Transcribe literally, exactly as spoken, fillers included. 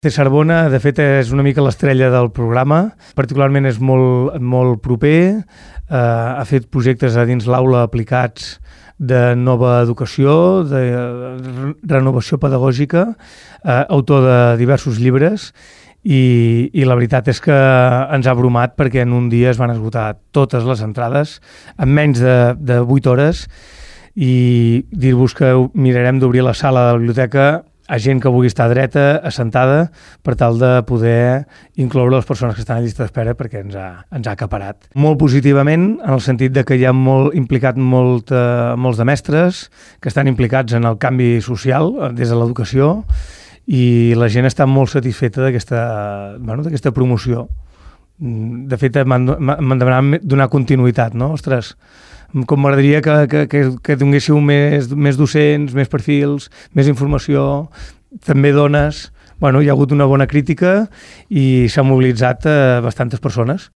Cesarbona, de fet, és una mica l'estrella del programa. Particularment és molt, molt proper. Eh, ha fet projectes a dins l'aula aplicats de nova educació, de renovació pedagògica, eh, autor de diversos llibres, i, i la veritat és que ens ha bromat perquè en un dia es van esgotar totes les entrades en menys de, de vuit hores, i dir-vos que mirarem d'obrir la sala de la biblioteca a gent que vulgui estar dreta, assentada, per tal de poder incloure les persones que estan a llista d'espera, perquè ens ha, ens ha acaparat. Molt positivament, en el sentit de que hi ha molt implicat molt, eh, molts de mestres que estan implicats en el canvi social des de l'educació, i la gent està molt satisfeta d'aquesta, bueno, d'aquesta promoció. De fet, m'han, m'han demanat donar continuïtat, no? Ostres, com m'agradaria que, que, que, que donguéssiu més, més docents, més perfils, més informació, també dones. Bueno, hi ha hagut una bona crítica i s'han mobilitzat eh, bastantes persones.